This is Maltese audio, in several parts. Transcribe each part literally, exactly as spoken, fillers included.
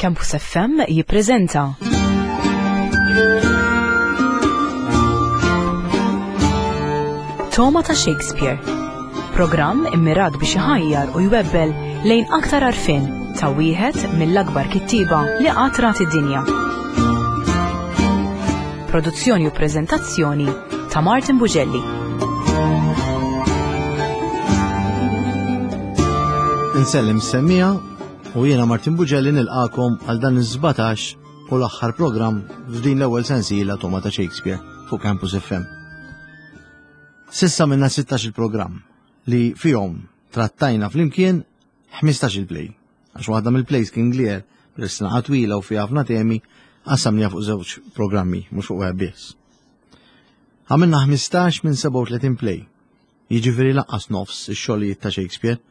Campus F M jippreżenta Togħma ta' Shakespeare. Programm immirat biex iħajjar u jwebbel lejn aktar għarfien ta' wieħed mill-akbar kittieba li qatt rat id-dinja. Produzzjoni u preżentazzjoni ta' Martin Bugelli. Insellem semmija u jiena Martin Bugelli nilqakom għal dan iż-sbatax u l-aħħar programm f'din l-ewwel sensiela Togħma ta' Shakespeare fuq Campus F M. Sissa minna sittax il-programm li fihom trattajna flimkien ħmistax il-play. Għax waħda mill-plays King Lear, bl-sena twila u fiha ħafna temi, qassamniha fuq żewġ programmi, mhux fuq wieħed biss. Għamilna ħmistax minn sebgħa u tletin play, jiġifieri lanqas nofs ix-xogħlijiet ta' Shakespeare,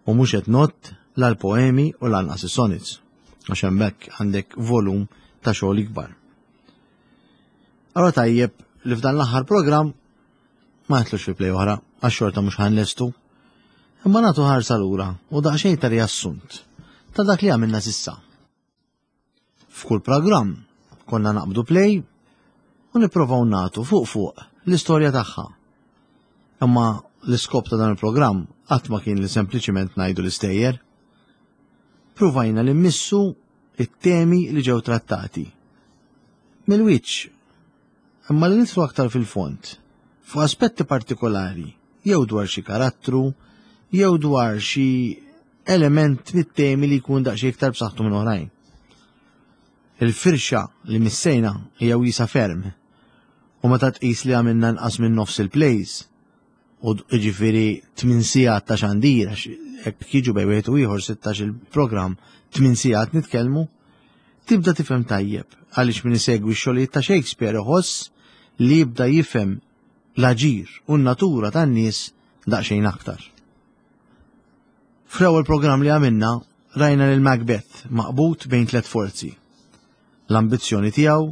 u mhux qed nott la l-poemi u lanqas is-sonnets, għax hemmhekk għandek volum ta' xogħol ikbar. Allora tajjeb li f'dan l-aħħar programm ma nitlux fi play oħra, għax xorta mhux ħanlestu, imma nagħtu ħarsa lura u daqsxejn ta' riassunt ta' dak li għamilna sissa. F'kull programm konna naqbdu play u nipprovaw nagħtu fuq fuq l-istorja tagħha. Imma l-iskop ta' dan il-programm qatt ma kien li sempliċiment ngħidu l-istejjer. Pruvajna li mmissu it-temi li ġew trattati. Mill-wiċċ, imma li nidħlu aktar fil-fond, fuq aspetti partikolari, jew dwar xi karattru, jew dwar xi element mit-temi li jkun daqsxejn iktar b'saħħtu minn oħrajn. Il-firxa li missejna hija wiesa ferm, u meta tqis li għamilna nqas minn nofs il-plays, u jiġifieri tmien sigħat ta' xandir, għax hekk jiġu bejn wieħed u ieħor sittax il-programm, tmien sigħat nitkellmu, tibda tifhem tajjeb għaliex min isegwi x-xogħlijiet ta' Shakespeare iħoss li jibda jifhem l-aġir u n-natura tan-nies daqsxejn aktar. Fl-ewwel programm li għamilna rajna lil Macbeth maqbud bejn tliet forzi: l-ambizzjoni tiegħu,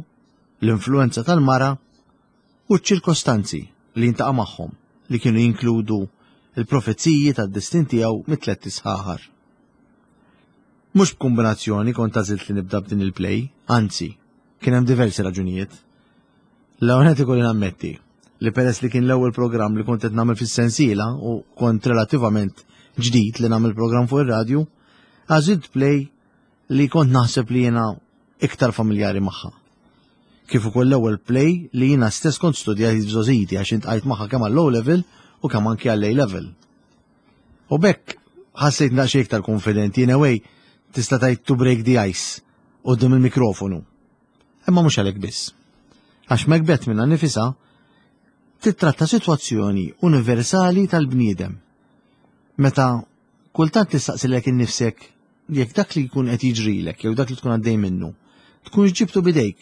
l-influenza tal-mara u ċ-ċirkostanzi li jintaqa' magħhom li kienu jinkludu il-profeziji tad-destin tiegħu mit-tliet isħaħar. Mhux b'kombinazzjoni kont għażilt li nibda b'din il-play, anzi, kien hemm diversi raġunijiet. L-ewwel qed ikolli nammetti li peress li kien l-ewwel programm li kont qed nagħmel fis-sensiela u kont relattivament ġdid li nagħmel programm fuq ir-radju, għażilt play li kont naħseb li jiena iktar familjari magħha. Kif ukoll l-ewwel play li jiena stess kont studjajt f'żgħożiti għax intqajt magħha kemm għall-O level u kemm anki għall-A level. U bekk ħassejt daqsxejn iktar konfidenti, in a way tista' tgħid to break the ice quddiem il-mikrofonu. Imma mhux għalhekk biss. Għax Macbeth minnha nifisha titratta sitwazzjoni universali tal-bniedem. Meta kultant tistaqsilek innifsek jekk dak li jkun qed jiġrilek jew dak li tkun għaddej minnu, tkunx ġibtu bidejk,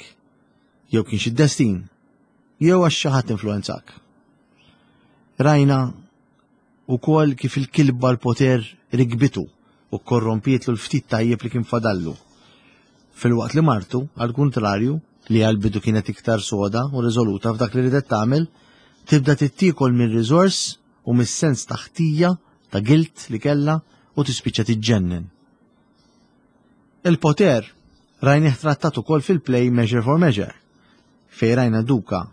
jew kienx id-destin, jew għax xi ħadd influenzak. Rajna wkoll kif il-kilba l-poter rigbitu u korrompietlu l-ftit tajjeb li kien fadallu. Filwaqt li martu, għal kontrarju, li għal-bidu kienet iktar soda u riżoluta f'dak li ridet tagħmel, tibda tittiekol mir-riżors u mis-sens ta' ħtija, ta' guilt li kellha u tispiċċa tiġġennen. Il-poter rajnih trattat ukoll fil-play Measure for Measure, fejn rajna duka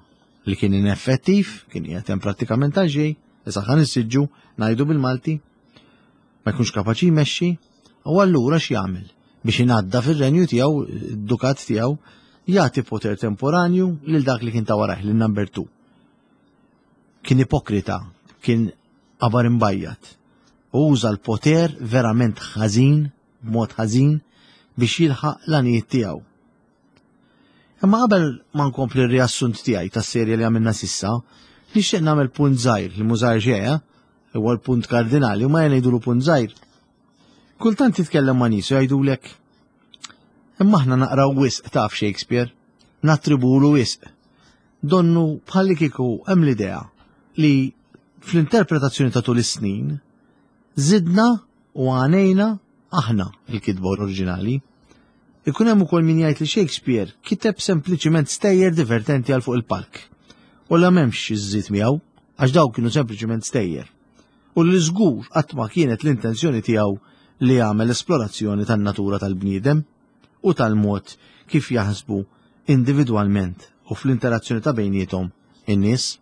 li kien ineffettiv, kien qiegħed hemm prattikament għal xejn, issa ħa nissiġġu ngħidu bil-Malti, ma jkunx kapaċi jmexxi, u allura x'jagħmel biex ingħadda fir-renju tiegħu, id-dukat tiegħu, jagħti poter temporanju lil dak li kien ta' warajh, lil number two. Kien ipokrita, kien qabar imbajjat. U uża l-poter verament ħażin, b'mod ħażin, biex jilħaq l-għanijiet tiegħu. Imma qabel ma nkompli r-riassunt tiegħi tas-serje li għamilna sissa, nixtieq nagħmel punt żgħir li mhu żgħir xejn, eh? Huwa l-punt kardinali u ma jgħidulu punt żgħir. Kultant titkellem ma' nies u jgħidulek, imma aħna naqraw wisq taf Shakespeare, nattribulu wisq. Donnu bħalli kieku hemm l-idea li fl-interpretazzjoni ta' tul is-snin żidna u għanejna aħna il-kitba oriġinali. Ikun hemm ukoll min jgħid li Shakespeare kiteb sempliċiment stejjer divertenti għal fuq il-palk. U la m'hemmx iżżid miegħu għax dawk kienu sempliċiment stejjer. U li żgur qatt ma kienet l-intenzjoni tiegħu li jagħmel esplorazzjoni tan-natura tal-bniedem u tal-mod kif jaħsbu individwalment u fl-interazzjoni ta' bejniethom in-nies.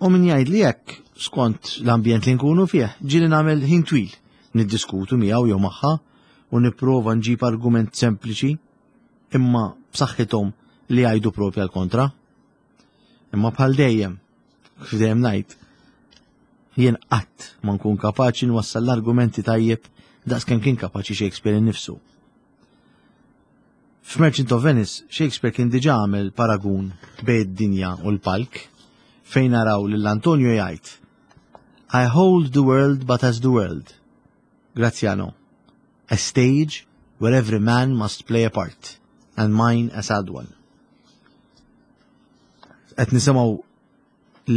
U min jgħid li hekk skont l-ambjent li nkunu fih, ġieli nagħmel ħin twil niddiskutu miegħu jew magħha u nipprova nġib argument sempliċi imma b'saħħithom li jgħidu propja l-kontra. Imma bħal dejjem, kif dejjem ngħid, jien qatt ma nkun kapaċi nwassal l-argumenti tajjeb daqs kemm kien kapaċi Shakespeare innifsu. F'Merchant of Venice, Shakespeare kien diġà għamel paragun bejn id-dinja u l-palk fejn naraw lil Antonio jgħid I hold the world but as the world. Graziano. A stage where every man must play a part, and mine a sad one. Qed nisimgħu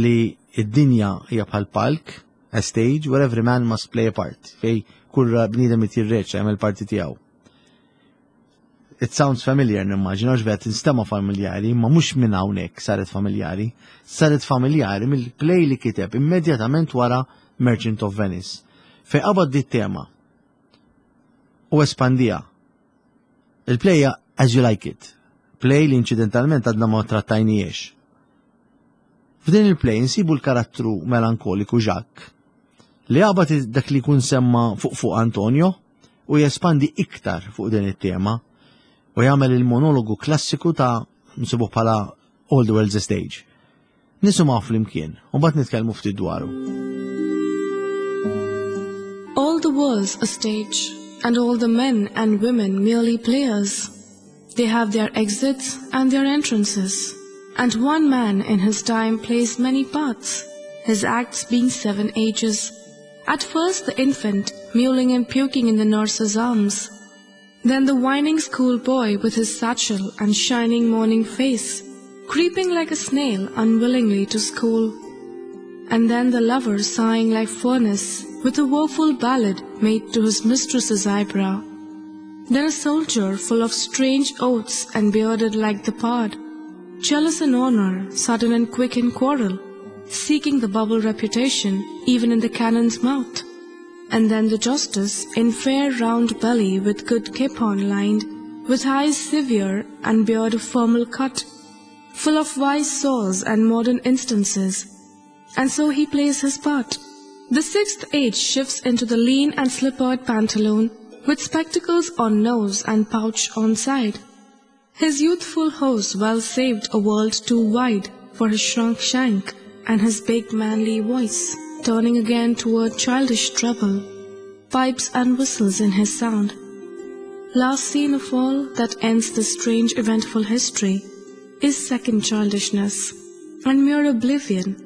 li id-dinja hija bħal palk, a stage where every man must play a part, fejn kull bniedem jirreċta jagħmel parti tiegħu. It sounds familiar nimmaġina, għax vet tinstema familjari, ma mhux minn hawnhekk saret familjari, saret familjari mill-play li kiteb immedjatament wara Merchant of Venice, fejn qabad di tema u espandiha. Il-play As You Like It, play li incidentalment għadna ma trattajnijiex. F'din il-play nsibu l-karattru melankoliku Jacques li qabad dak li kun semma fuq fuq Antonio u jespandi iktar fuq din it-tema u jagħmel il-monologu klassiku ta' nsibuh bħala All the World's a Stage. Nisimgħu flimkien u mbagħad nitkellmu ftit dwaru. All the world's a stage, and all the men and women merely players. They have their exits and their entrances, and one man in his time plays many parts, his acts being seven ages. At first the infant, mewling and puking in the nurse's arms. Then the whining schoolboy with his satchel and shining morning face, creeping like a snail unwillingly to school. And then the lover sighing like furnace with a woeful ballad made to his mistress's eyebrow. Then a soldier full of strange oaths and bearded like the pard, jealous in honor, sudden and quick in quarrel, seeking the bubble reputation even in the cannon's mouth. And then the justice in fair round belly with good capon lined, with eyes severe and beard of formal cut, full of wise saws and modern instances. And so he plays his part. The sixth age shifts into the lean and slippered pantaloon, with spectacles on nose and pouch on side. His youthful hose well saved a world too wide for his shrunk shank and his big manly voice, turning again toward childish treble, pipes and whistles in his sound. Last scene of all that ends this strange eventful history is second childishness and mere oblivion,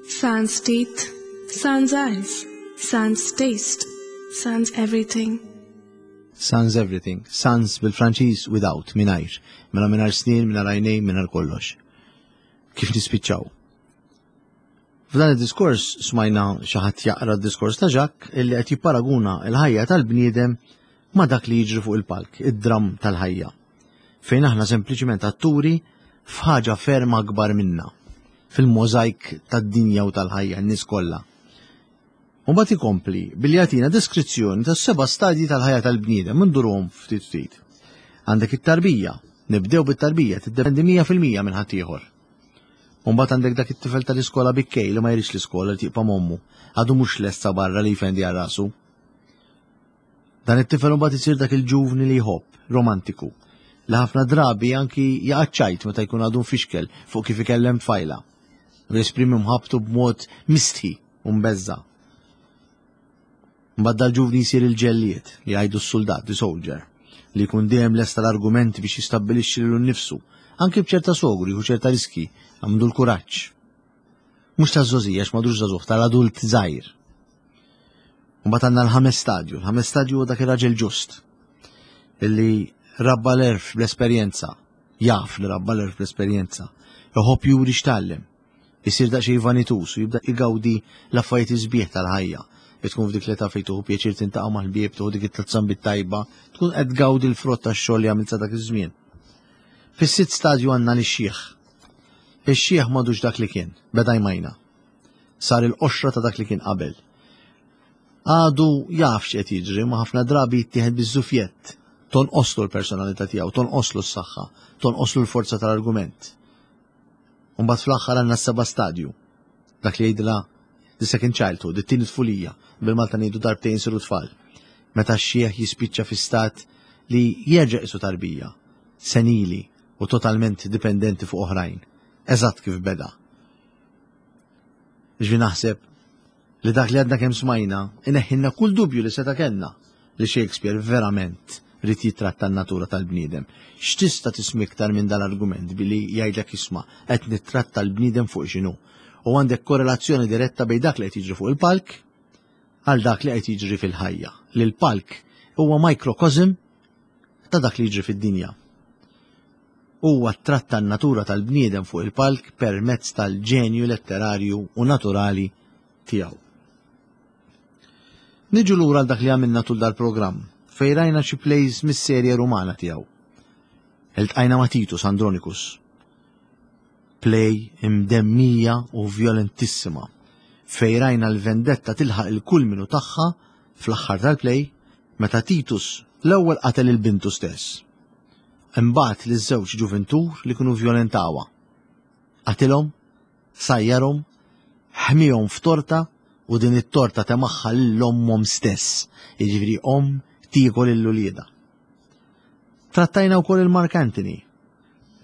sans teeth, sans eyes, sans taste, sans everything. Sans everything. Sans bil-Franċiż without, mingħajr. Mela mingħajr snien, mingħajr għajnejn, mingħajr kollox. Kif nispiċċaw? F'dan id-diskors smajna xi ħadd jaqra d-diskors ta' Jacques illi qed jipparaguna l-ħajja tal-bniedem ma' dak li jiġri fuq il-palk, id-dram tal-ħajja. Fejn aħna sempliċiment atturi f'ħaġa ferm akbar minna, fil-mozaik tad-dinja u tal-ħajja n-nies kollha. U mbagħad ikompli billi jagħtina deskrizzjoni tas-seba' stadji tal-ħajja tal-bniedem ndurhom ftit ftit. Għandek it-tarbija, nibdew bit-tarbija, tiddependi mija fil-mija minn ħaddieħor. U mbagħad għandek dak it-tifel tal-iskola bikkej li ma jridx l-iskola li tibqa' m'ommu, għadu mhux lesta barra li jfendi għal rasu. Dan it-tifel mbagħad isir dak il-ġuvni li jħobb, romantiku, li ħafna drabi anki jaqaċċajt meta jkun għadu mfixkel fuq kif ikellem tfajla. U jesprimi mħabtu b'mod mistħi u mbeżza. Mbagħad dal-ġuvni jsir il-ġellied li jgħidu s-soldat, the soldier, li jkun dejjem lesta l-argumenti biex jistabbilixxi lilu nnifsu, anki b'ċerta sogri u ċerta riski, għandu l-kuraġġ. Mhux taż-żgħożija għax m'għadux żagħżugħ, tal-adult żgħir. Mbagħad għandna l-ħames stadju, l-ħames stadju huwa dak ir-raġel ġust illi rabba l-għerf bl-esperjenza, jaf li rabba l-għerf bl-esperjenza, iħobb juri x'tgħallem, isir daqsxejn vanitus u jibda igawdi l-affarijiet isbieħ tal-ħajja. Tkun f'dik l-età fejn tieħu pjaċir tintaqa' mal-ħbieb, tieħu dik it-tliet bit-tajba, tkun qed tgawdi l-frott tax-xogħol li għamilt sa dak iż-żmien. Fis-sitt stadju għandna lix-xiħ. Ix-xiħ m'għadux dak li kien, beda jmajna. Sar il-qoxra ta' dak li kien qabel. Għadu jaf x'qed jiġri, ma ħafna drabi jittieħed biż-żufjett Tonqoslu l-personalità tiegħu, tonqoslu s-saħħa, tonqoslu l-forza tal-argument. Mbagħad fl-aħħar għandna s-seba' stadju. Dak li jgħidilha the second childhood, it-tieni tfulija, bil-Malta ngħidu darbtejn siru tfal. Meta x-xieħ jispiċċa fi stat li jerġa' qisu tarbija, senili u totalment dipendenti fuq oħrajn. Eżatt kif beda. Ġvi naħseb li dak li għadna kemm smajna ineħħinna kull dubju li seta' kellna li Shakespeare verament ried jitratta n-natura tal-bniedem. X'tista' tisma' iktar minn dal-argument billi jgħidlek isma' qed nittratta l-bniedem fuq x'inhu. U għandek korrelazzjoni diretta bejn dak li qed jiġri fuq il-palk għal dak li qed jiġri fil-ħajja. Li l-palk huwa microcosm ta' dak li jiġri fid-dinja. Huwa tratta n-natura tal-bniedem fuq il-palk permezz tal-ġenju letterarju u naturali tiegħu. Niġu lura għal dak li għamilna tul dal-programm, fejn rajna xi plays mis-serje Rumana tiegħu. Iltqajna ma' Titus Andronicus. Play imdemmija u violentissima, fejn rajna l-vendetta tilħaq il-kulminu tagħha fl-aħħar tal-play meta Titus l-ewwel qatel il-bintu stess. Imbagħad liż-żewġ ġuventur li kienu vjolentawha. Qatilhom, sajjarhom, ħmihom f'torta u din it-torta temagħha lil ommhom stess, jiġifieri omm tiekol lil uliedha. Trattajna wkoll il-Mark Antony,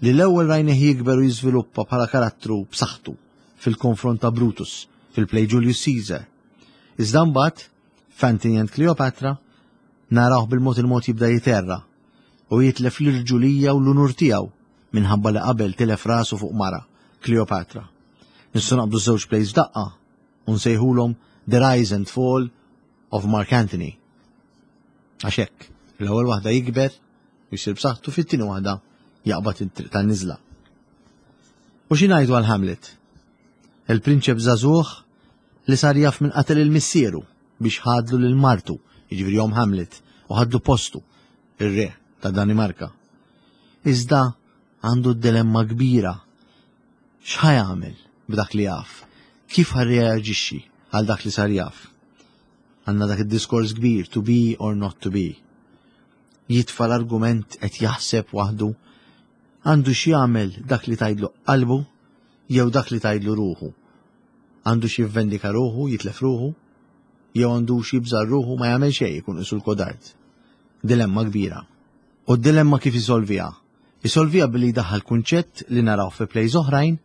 li l-ewwel rajnih jikber u jiżviluppa bħala karattru b'saħħtu fil-konfront ta' Brutus fil-play Julius Caesar. Iżda mbagħad f'Antony and Cleopatra narawh bil-mod il-mod jibda jiterra u jitlef l-irġulija u l-unur tiegħu minħabba li qabel tilef rasu fuq mara, Cleopatra. Nistgħu naqbdu żewġ plays f'daqqa u nsejħulhom The Rise and Fall of Mark Antony. Għax hekk, l-ewwel waħda jikber u jsir b'saħħtu, fit-tieni waħda jaqbad it-triq tan-niżla. U xi ngħidu għal Hamlet? Il-prinċep żagħżugħ li sar jaf minn qatel il-missieru biex ħadlu lil martu, jiġifieri omm Hamlet, u ħadlu postu, ir-re ta' Danimarka. Iżda għandu dilemma kbira. X'ħa jagħmel b'dak li jaf? Kif ħa jirreaġixxi għal dak li sar jaf? Għandna dak id-diskors kbir, to be or not to be. Jitfa' l-argument qed jaħseb waħdu, għandu x'jagħmel dak li tgħidlu qalbu jew dak li tgħidlu ruħu. Għandu x'jivvendika ruħu, jitlef ruħu, jew għandu x'jibżar ruħu ma jagħmel xejn ikun isu l-kodard. Dilemma kbira. U d-dilemma kif isolviha? Isolviha billi jdaħħal kunċett li naraw fi plays oħrajn,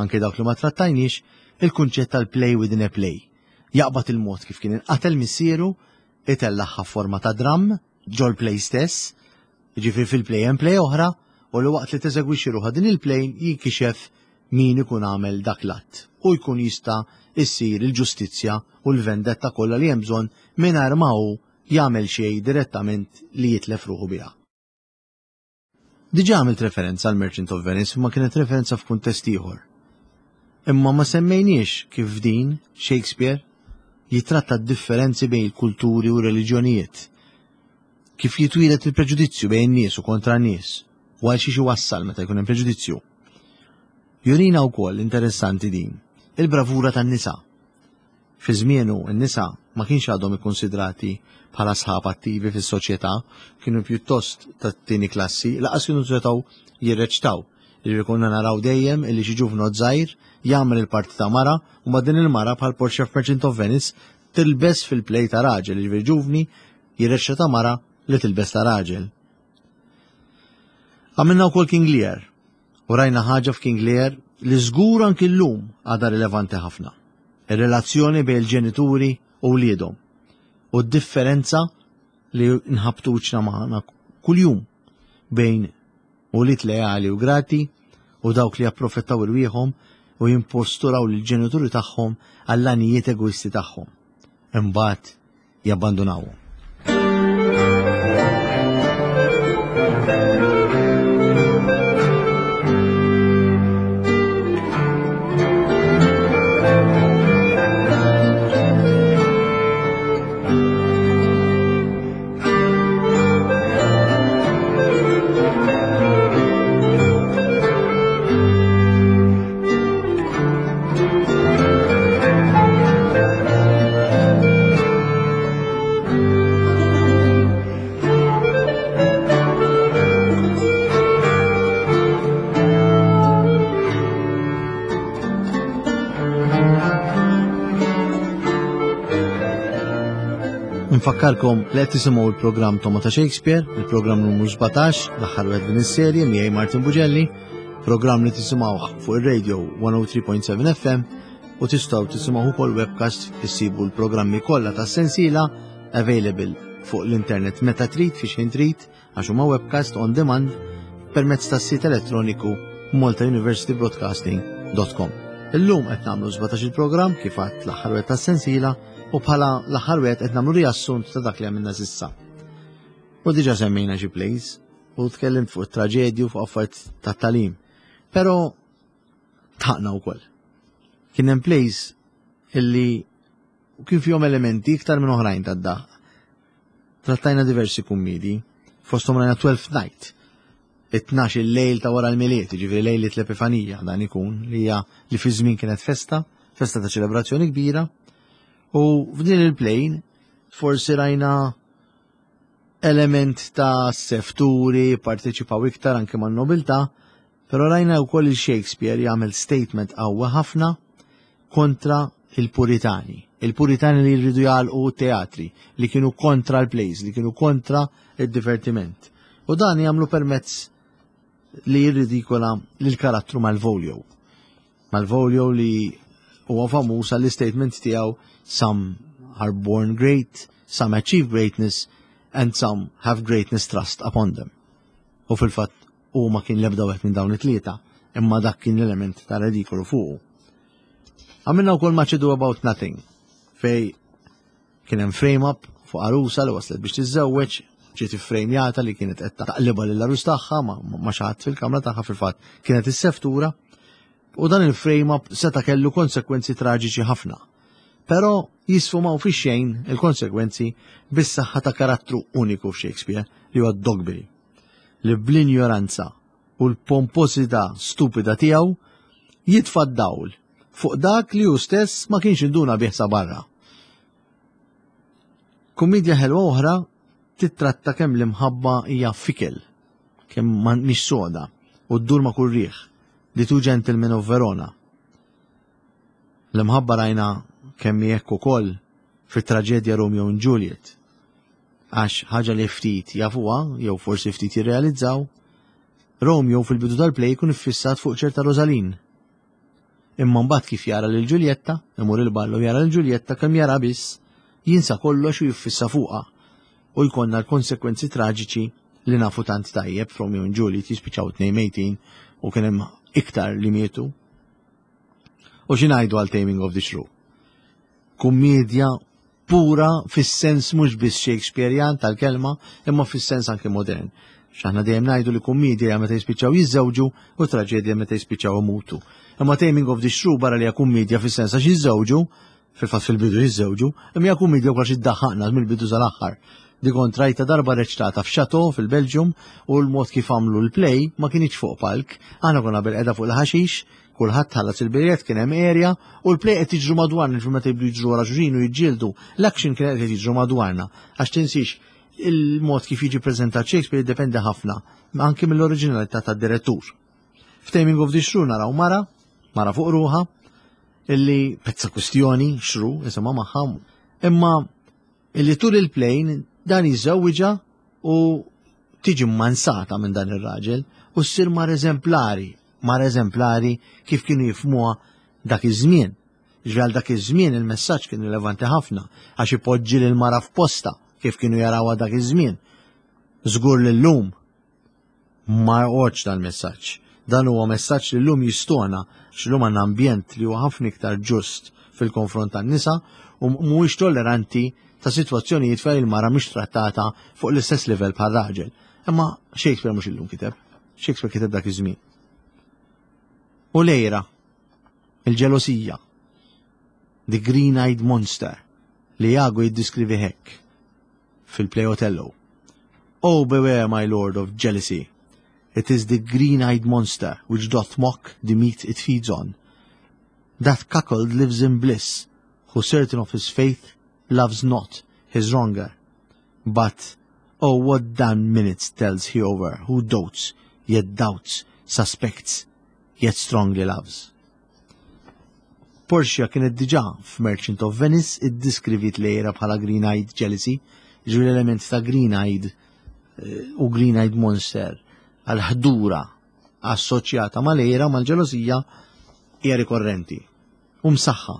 anke dawk li ma trattajniex, il-kunċett tal-play within a play. Jaqbad il-mod kif kien inqatel missieru, itellagħha forma ta' dram, ġol play stess, jiġifieri fil-play hemm play oħra, u li waqt li teżegwixxi ruħha din il-play jinkixef min ikun għamel dak l-att u jkun jista' issir il-ġustizzja u l-vendetta kollha li hemm bżonn mingħajr ma hu jagħmel xejn direttament li jitlef ruħu biha. Diġà għamilt referenza għal Merchant of Venice, imma kienet referenza f'kuntest ieħor. Imma ma semmejniex kif din Shakespeare jitratta d-differenzi bejn il-kulturi u reliġjonijiet. Kif jitwieled il-preġudizzju bejn nies u kontra nies, u għal xiex iwassal meta jkun hemm preġudizzju. Jurina wkoll interessanti din, il-bravura tan-nisa. Fi żmienu n-nisa ma kienx għadhom ikkonsidrati bħala sħab attivi fis-soċjetà, kienu pjuttost tat-tieni klassi, lanqas kienu setgħu jirreċtaw. Li konna naraw dejjem illi xi ġuvnot żgħir jagħmel il-parti ta' mara u ma' din il-mara bħal Portia Merchant of Venice tilbes fil-play ta' raġel, jiġifieri ġuvni jirreċta ta' mara li tilbes ta' raġel. Għamilna wkoll King Lear u rajna ħaġa f'King Lear li żgur anki llum għadha rilevanti ħafna. Ir-relazzjoni bejn il-ġenituri u wliedhom u d-differenza li nħabbtu wiċċna magħna kuljum bejn ulied leali u grati u dawk li japprofittaw irwieħhom u jimposturaw lill-ġenituri tagħhom għall-għanijiet egoisti tagħhom. Imbagħad jabbandunawhom. Infakkarkom li qed tisimgħu l-programm Togħma ta' Shakespeare, il-programm numru sbatax, l-aħħar wieħed din is-serje miegħi Martin Bugelli, programm li tisimgħuh fuq ir-radio one oh three point seven F M u tistgħu tisimgħu ukoll webcast. Issibu l-programmi kollha tas-sensiela available fuq l-internet meta trid, fi xejn trid, għax huma webcast on demand permezz tas-sit elettroniku malta university broadcasting dot com. Illum qed nagħmlu sbatax il-programm, kif għedt, l-aħħar wieħed tas-sensiela, u bħala l-aħħar wieħed qed nagħmlu riassunt ta' dak li għamilna s'issa. U diġà semmejna xi plays u tkellimt fuq it-traġedju, fuq affarijiet ta' tagħlim. Però dħakna wkoll. Kien hemm plays illi kien fihom elementi iktar minn oħrajn tad-daħk. Trattajna diversi kummidi, fosthom rajna Twelfth Night, it-tnax il-lejl ta' wara l-Milied, ġifieri lejlit l-Epifanija dan ikun, li hija li fi żmien kienet festa, festa ta' ċelebrazzjoni kbira. U f'din il-play forsi rajna element ta' sefturi, parteċipaw iktar anke man nobiltà, però rajna wkoll il-Shakespeare jagħmel statement qawwa ħafna kontra il-Puritani. Il-Puritani li jridu jagħlqu teatri, li kienu kontra l-plays, li kienu kontra il-divertiment. U dan jagħmlu permezz li jirridikola l-karattru Malvolio. Malvolio li huwa famuż għall-statement tiegħu "Some are born great, some achieve greatness, and some have greatness thrust upon them." U fil-fatt u ma kien lebda wieħed minn dawn it-tlieta, imma dak kien l-element ta' ridikolu fuqu. Għamilna wkoll Much Ado About Nothing, fej kien hemm frame-up fuq arusa li waslet biex tiżżewweġ, ġiet iffrejmjata li kienet qed taqliba lil arus tagħha ma' xi ħadd fil-kamra tagħha, fil-fatt kienet is-seftura, u dan il-frame-up seta' kellu konsekwenzi traġiċi ħafna. Però jisfumaw fi xejn il-konsekwenzi bis-saħħa ta' karattru uniku f'Shakespeare li huwa Dogberry, li bl-injoranza u l-pomposità stupida tiegħu jitfa' dawl fuq dak li hu stess ma kienx induna bih sa barra. Kummedja ħelwa oħra titratta kemm l-imħabba hija fickle, kemm mhix soda u ddur ma' kull riħ, The Two Gentlemen of Verona. L-imħabba rajna kemm hekk ukoll fit-traġedja Romeo and Juliet. Għax ħaġa li ftit jafuha, jew forsi ftit jirrealizzaw, Romeo fil-bidu tal-play jkun iffissat fuq ċerta Rosaline. Imma mbagħad kif jara lil Giulietta, imur il-ballu jara lil Giulietta, kemm jara biss, jinsa kollox u jiffissa fuqha. U jkollna l-konsekwenzi traġiċi li nafu tant tajjeb Romeo and Juliet, jispiċċaw tnejn mejtin u kien hemm iktar li mietu. U xi ngħidu għal Taming of the Shrew? Kummedja pura fis-sens mhux biss Shakespearean tal-kelma, imma fis-sens anke modern. X'aħna dejjem ngħidu li kummedja meta jispiċċaw jiżżewġu u traġedja meta jispiċċaw imutu. Imma Taming of the Shrew, barra li hija kummedja fis-sens għax jiżżewġu, fil-fatt fil-bidu jiżżewġu, imma hija kummedja wkoll iddaħħaqna mill-bidu sal-aħħar. Di kont rajta darba reċtata f'Chateau fil-Belġium u l-mod kif għamlu l-play ma kienx fuq palk, aħna konna bil-qeda fuq il-ħaxix, kulħadd ħallas il-biljett, kien hemm area u l-play qed jiġru madwarna, ġu meta jibdu jiġru wara xulxin u jiġġieldu, l-action kien qed jiġru madwarna. Għax tinsix, il-mod kif jiġi preżentat Shakespeare jiddependi ħafna anke mill-oriġinalità tad-direttur. F'Taming of the Shrew naraw mara, mara fuq ruħa, illi pezza kwistjoni, shrew, isimha magħha, imma illi tul il-play dan jiżżewwiġha u tiġi mansata minn dan ir-raġel u ssir mara eżemplari, mara eżemplari kif kienu jifmuha dak iż-żmien. Ġral dak iż-żmien il-messaġġ kien rilevanti ħafna għax ipoġġi lil mara f'posta kif kienu jarawha dak iż-żmien. Żgur li llum ma joqgħodx dal-messaġġ. Dan huwa messaġġ li llum jistona, x'lum għandna ambjent li huwa ħafna iktar ġust fil-konfront tan-nisa u mhuwiex tolleranti ta' sitwazzjonijiet fejn il-mara mhix trattata fuq l-istess livell bħal raġel. Imma Shakespeare mhux illum kiteb. Shakespeare kiteb dak iż-żmien. U l-għira, il-ġelosija, the green-eyed monster li Iago jiddiskrivi hekk fil-play Othello: "Oh, beware, my lord, of jealousy. It is the green-eyed monster which doth mock the meat it feeds on. That cuckold lives in bliss, who certain of his faith loves not his wronger. But, oh, what damned minutes tells he over, who dotes, yet doubts, suspects, yet strongly loves." Portia kienet diġà f'Merchant of Venice iddiskrivit l-għira bħala Green-Eyed Jealousy, ġifieri l-element ta' Green-Eyed eh, u Green-Eyed Monster għal-ħdura assoċjata mal-għira mal-ġelosija hija rikorrenti u msaħħa.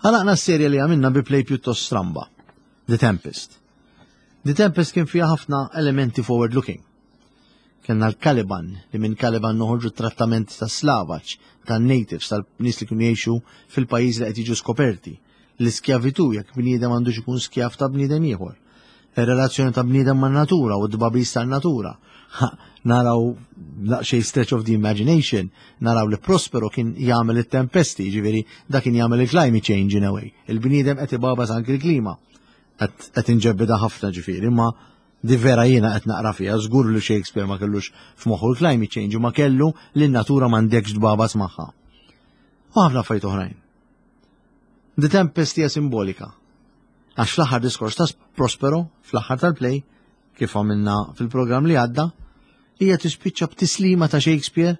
Għalaqna s-serja li għamilna bi play pjuttost stramba, The Tempest. The Tempest kien fiha ħafna elementi forward-looking. Kellna l-Caliban, li minn Caliban noħorġu trattament ta' slavaġ, ta' natives, tal-nies li kienu jgħixu fil-pajjiż li qed jiġu skoperti. L-iskjavitu jekk bniedem għandux ikun skjav ta' bniedem ieħor. Ir-relazzjoni ta' bniedem man-natura u d-tbagħbis tan-natura. Naraw xej stretch of the imagination, naraw li Prospero kien jagħmel it-tempesti, ġifieri da kien jagħmel il-climate change in a way. Il-bniedem qed ibagħbas anki l-klima. Qed inġebbida ħafna ġifieri, imma di vera jiena qed naqra fiha, żgur li Shakespeare ma kellux f'moħħu l-climate change u ma kellu li n-natura m'għandekx tbagħbas magħha. U ħafna affarijiet oħrajn. The Tempest hija simbolika. Għax fl-aħħar diskors ta' Prospero, fl-aħħar tal-play, kif għamilna fil-programm li għadda, hija tispiċċa b'tislima ta' Shakespeare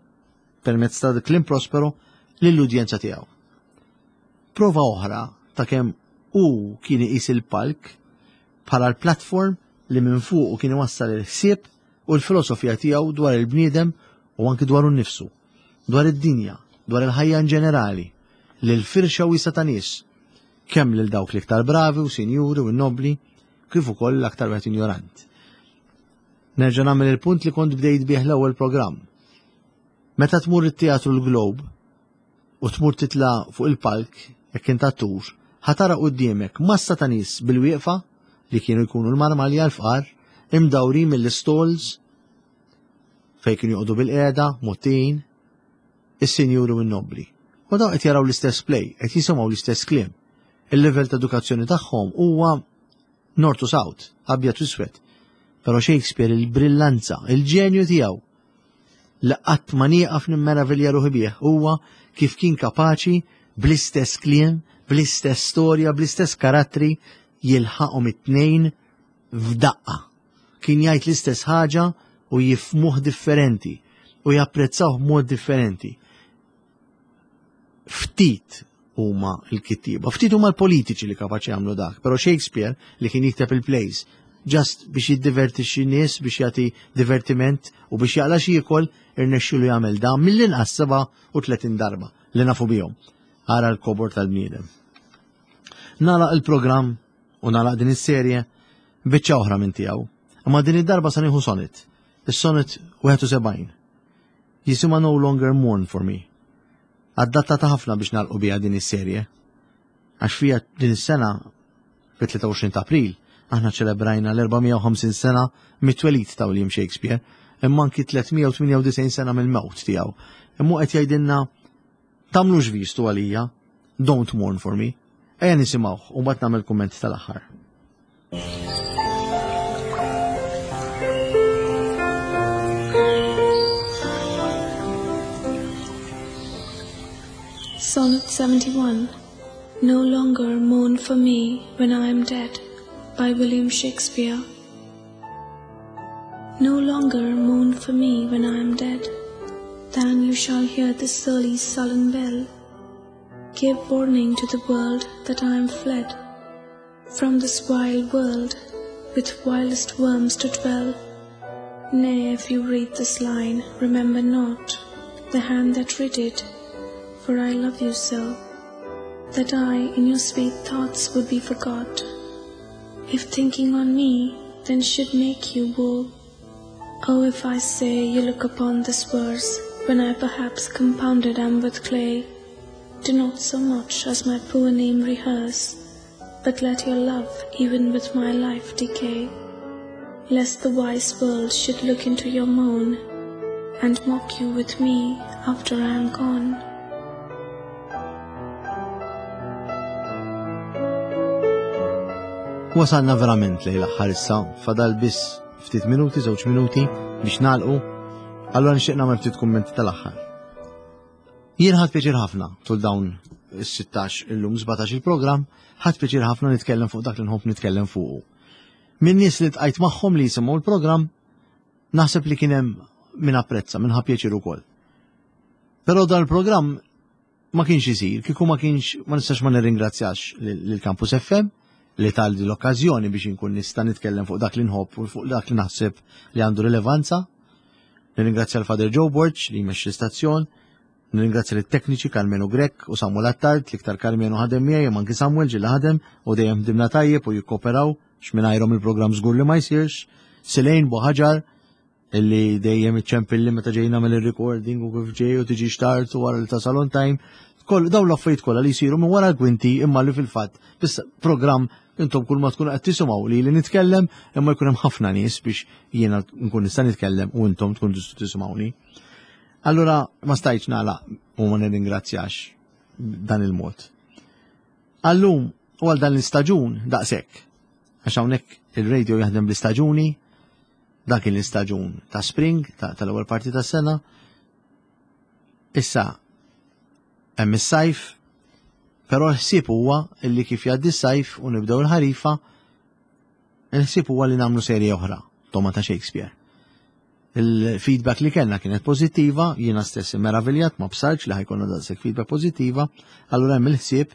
permezz ta' kliem Prospero lill-udjenza tiegħu. Prova oħra ta' kemm hu kien iqis il-palk bħala l-platform li minn fuq kien iwassal il-ħsieb u l-filosofija tiegħu dwar il-bniedem u anki dwar nnifsu, dwar id-dinja, dwar il-ħajja in ġenerali, lil firxa wiesgħa ta' nies, kemm lil dawk l-iktar bravi u sinjuri u nobli, kif ukoll l-aktar wieħed injorant. Nerġa' nagħmel il-punt li kont bdejt bih l-ewwel programm. Meta tmur it-teatru l-Globe u tmur titla' fuq il-palk jekk int attur, ħa tara quddiemek massa ta' nies bil-wieqfa li kienu jkunu l-marmalja l-fqar, imdawrin mill-stalls fejn kienu joqogħdu bil-qiegħda, mottin, is-sinjuri u n-nobli. U daw qed jaraw l-istess play, qed jisimgħu l-istess kliem. Il-level ta' edukazzjoni tagħhom huwa north to south, abjad u iswed. Però Shakespeare il-brillanza, il-ġenju tiegħu li qatt ma nieqaf nimmeravilja ruħi bih huwa kif kien kapaċi bl-istess kliem, bl-istess storja, bl-istess karattri jilħaqhom it-tnejn f'daqqa. Kien jgħid l-istess ħaġa u jifhmuh differenti u japprezzawh b'mod differenti. Ftit huma l-kittieba, ftit huma l-politiċi li kapaċi jagħmlu dak, però Shakespeare li kien jikteb il-plays just biex jiddivertixxi nies, biex jagħti divertiment u biex jaqla xi jiekol, irnexxielu jagħmel dan mill-inqas seba' u tletin darba li nafu bihom. Ara l-kobor tal-bniedem. Nagħlaq il-programm u nagħlaq din is-serje biċċa oħra minn tiegħu. Imma din id-darba sa nieħu sonnet. Is-sonnet wieħed u sebgħin. Jisimha No Longer Mourn for Me. Adattata ħafna biex nagħlqu biha din is-serje. Għax fija din is-sena fit-tlieta u għoxrin ta' April aħna ċelebrajna l-erba' mija u ħamsin sena mit-twelid ta' William Shakespeare, imma anki tliet mija u tmienja u disgħin sena mill-mewt tiegħu. Imma qed jgħidilna tagħmlux vistu għalija, don't mourn for me. Ejja nisimgħuh u mbagħad nagħmel kumment tal-aħħar. Sonnet seventy-one. No longer mourn for me when I am dead, by William Shakespeare. No longer mourn for me when I am dead, than you shall hear the surly sullen bell give warning to the world that I am fled from this vile world with vilest worms to dwell. Nay, if you read this line, remember not the hand that writ it, for I love you so, that I in your sweet thoughts would be forgot. If thinking on me then should make you woe, oh, if I say you look upon this verse, when I perhaps compounded am with clay, do not so much as my poor name rehearse, but let your love even with my life decay, lest the wise world should look into your moan, and mock you with me after I am gone. Wasalna verament lejn l-aħħar issa, fadal biss ftit minuti, żewġ minuti biex nagħlqu, allura nixtieq nagħmel ftit kummenti tal-aħħar. Jien ħadt pjaċir ħafna tul dawn is-sittax illum sbatax il-programm, ħadt pjaċir ħafna nitkellem fuq dak li nħobb nitkellem fuqu. Min nies li tqajt magħhom li jisimgħu l-programm, naħseb li kien hemm min apprezza, min ħa pjaċir ukoll. Però dan il-programm ma kienx isir, kieku ma kienx, ma nistax ma nirringrazzjax lil Campus F M li tani l-okkażjoni biex inkun nista' nitkellem fuq dak li nħobb u fuq dak li naħseb li għandu rilevanza. Nirringrazzja l-Father Joe Borg li jmexxi l-istazzjon, nirringrazzja lit-tekniċi Carmenu Grek u Samuel Attard, l-iktar Carmenu ħadem miegħi, imma anki Samuel ġilla ħadem u dejjem ħdimna tajjeb u jikkoperaw x'mingħajrhom il-programm żgur li ma jsirx. Silejn Boħaġar illi dejjem iċċempilli meta ġejna mill-recording u kif ġej u tiġi xtart u wara li tasal on time. Koll dawn l-affarijiet kollha li jsiru minn wara l-kwinti, imma li fil-fatt biss programm intom kull ma tkunu qed tisimgħu li li nitkellem, imma jkun hemm ħafna nies biex jiena nkun nista' nitkellem u intom tkun tistgħu tisimgħuni. Allura ma stajtx nagħlaq u ma nirringrazzjax dan il-mod. Għallum u għal dan l-istaġun daqshekk. Għax hawnhekk il-radio jaħdem bl-istaġuni, dak l-istaġun ta' spring, tal-ewwel parti tas-sena. Issa hemm is-sajf, però l-ħsieb huwa illi kif jgħaddi s-sajf u nibdew il-ħarifa, il-ħsieb huwa li nagħmlu serje oħra, Togħma ta' Shakespeare. Il-feedback li kellna kienet pożittiva, jiena stess meraviljat, ma bsartx li ħa jkollna daqshekk feedback pożittiva, allura hemm il-ħsieb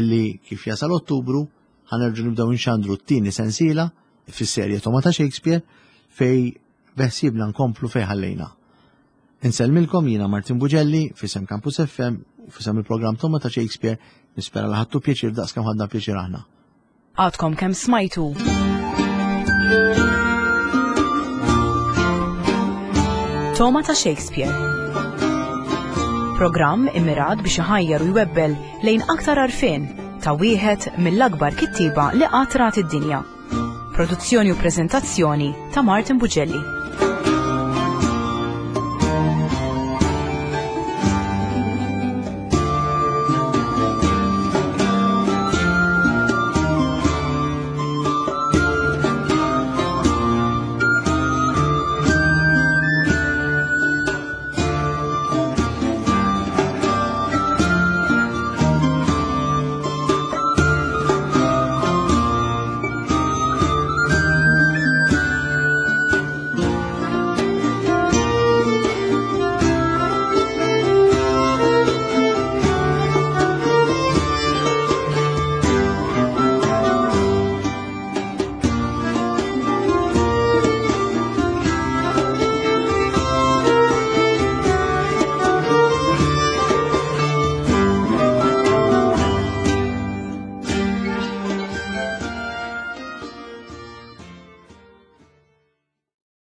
illi kif jasal Ottubru ħa nerġgħu nibdew nxandru t-tieni sensiela fis-serje Togħma ta' Shakespeare, fej beħsiebna nkomplu fej ħallejna. Insellmilkom jiena Martin Bugelli f'isem Campus F M u f'isem il-programm Togħma ta' Shakespeare, nispera li ħadtu pjaċir daqs kemm ħadna pjaċir aħna. Għadkom kemm smajtu Togħma ta' Shakespeare. Programm immirat biex iħajjar u jwebbel lejn aktar għarfien ta' wieħed mill-akbar kittiba li qatt rat id-dinja. Produzzjoni u preżentazzjoni ta' Martin Bugelli.